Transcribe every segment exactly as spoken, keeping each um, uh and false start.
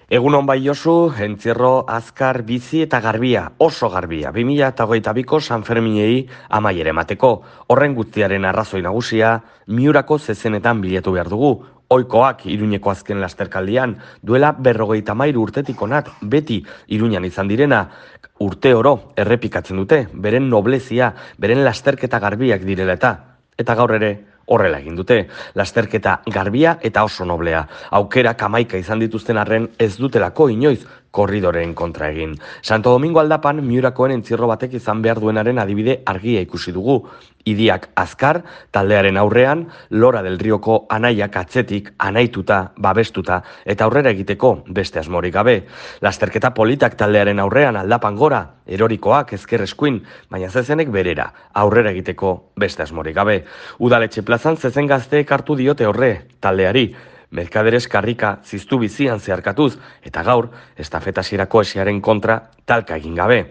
Egunon bai Josu, entzierro azkar, bizi eta garbia, oso garbia, bi mila hogeita biko Sanferminei amaiera emateko. Horren guztiaren arrazoi nagusia, Miurako zezenetan bilatu behar dugu. Ohikoak Iruñeko azken lasterkaldian, duela berrogeita hamairu urtetik onat, beti Iruñan izan direna, urte oro errepikatzen dute, beren noblezia, beren lasterketa garbiak direla eta, eta gaur ere, horrela egin dute, lasterketa garbia eta oso noblea. Aukerak hamaika izan dituzten arren ez dutelako inoiz korridoreen kontra egin. Santo Domingo aldapan Miurakoen entzierro batek izan behar duenaren adibide argia ikusi dugu. Idiak azkar, taldearen aurrean, Lora del Rioko anaiak atzetik, anaituta, babestuta, eta aurrera egiteko beste asmorik gabe. Lasterketa politak taldearen aurrean aldapan gora, erorikoak ezker eskuin, baina zezenek berera, aurrera egiteko beste asmorik gabe. Udaletxe plazan zezen gazteek hartu diote horre, taldeari, Merkaderes karrika ziztu bizian zeharkatuz, eta gaur, estafetasierako esiaren kontra talka egin gabe.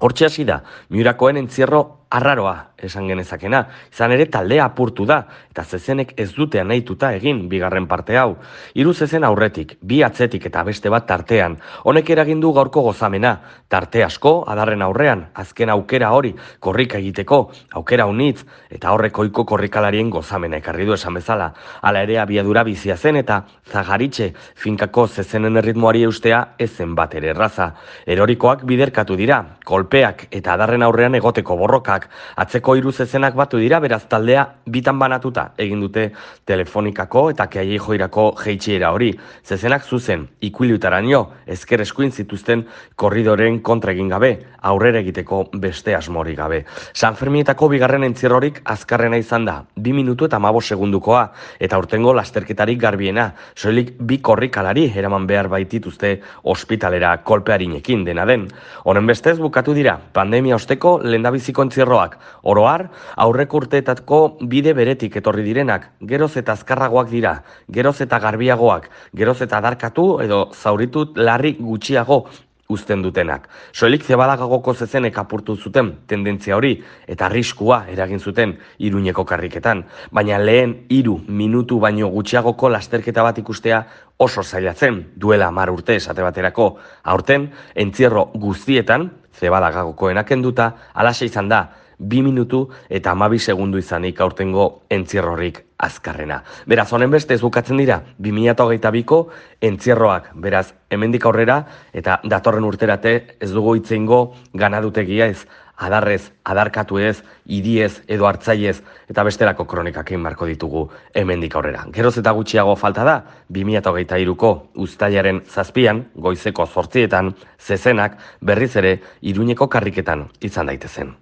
Hortxe hasi da, Miurakoen entzierro arraroa esan genezakena, izan ere taldea apurtu da, eta zezenek ez dute anahituta egin bigarren parte hau. Hiru zezen aurretik, bi atzetik eta beste bat tartean, honek eragin du gaurko gozamena, tarte asko, adarren aurrean, azken aukera hori, korrika egiteko, aukera unitz, eta horrek ohiko korrikalarien gozamena ekarri du esan bezala. Hala ere abiadura bizia zen eta Zagaritxe finkako zezenen erritmoari eustea ezen bat ere erraza. Erorikoak biderkatu dira, kolpeak eta adarren aurrean egoteko borrokak, atzeko hiru zezenak batu dira, beraz taldea bitan banatuta egin dute Telefonikako eta Keaiei Joirako jeitxiera hori. Zezenak zuzen, ikuilutaraino, ezker eskuin zituzten korridoren kontra egin gabe, aurrera egiteko beste asmori gabe. Sanferminetako bigarren entzierrorik azkarrena izan da, bi minutu eta hamabost segundukoa, eta urtengo lasterketarik garbiena, soilik bi korrikalari eraman behar baitituzte ospitalera kolpearinekin dena den. Honen bestez bukatu dira, pandemia osteko lehendabiziko entzierroak, oroar, aurreko urteetako bide beretik etorri direnak, geroz eta azkarragoak dira, geroz eta garbiagoak, geroz eta adarkatu edo zauritut larri gutxiago uzten dutenak. Soilik Zebadagagoko zezenek apurtu zuten tendentzia hori eta arriskua eragin zuten Iruñeko karriketan, baina lehen hiru minutu baino gutxiagoko lasterketa bat ikustea oso zailatzen, duela hamar urte esate baterako. Aurten, entzierro guztietan, Zebadagagokoenak kenduta, alaxe izan da, bi minutu eta hamabi segundu izanik aurtengo entzierrorik azkarrena. Beraz, honen beste ez bukatzen dira, bi mila hogeita biko entzierroak, beraz, hemendik aurrera eta datorren urterate ez dugu hitzeingo ganadutegia ez, adarrez, adarkatu ez, idiez edo hartzaiez eta bestelako kronikak egin marko ditugu hemendik aurrera. Geroz eta gutxiago falta da, bi mila hogeita hiruko uztailaren zazpian, goizeko zortzietan, zezenak berriz ere Iruñeko karriketan izan daitezen.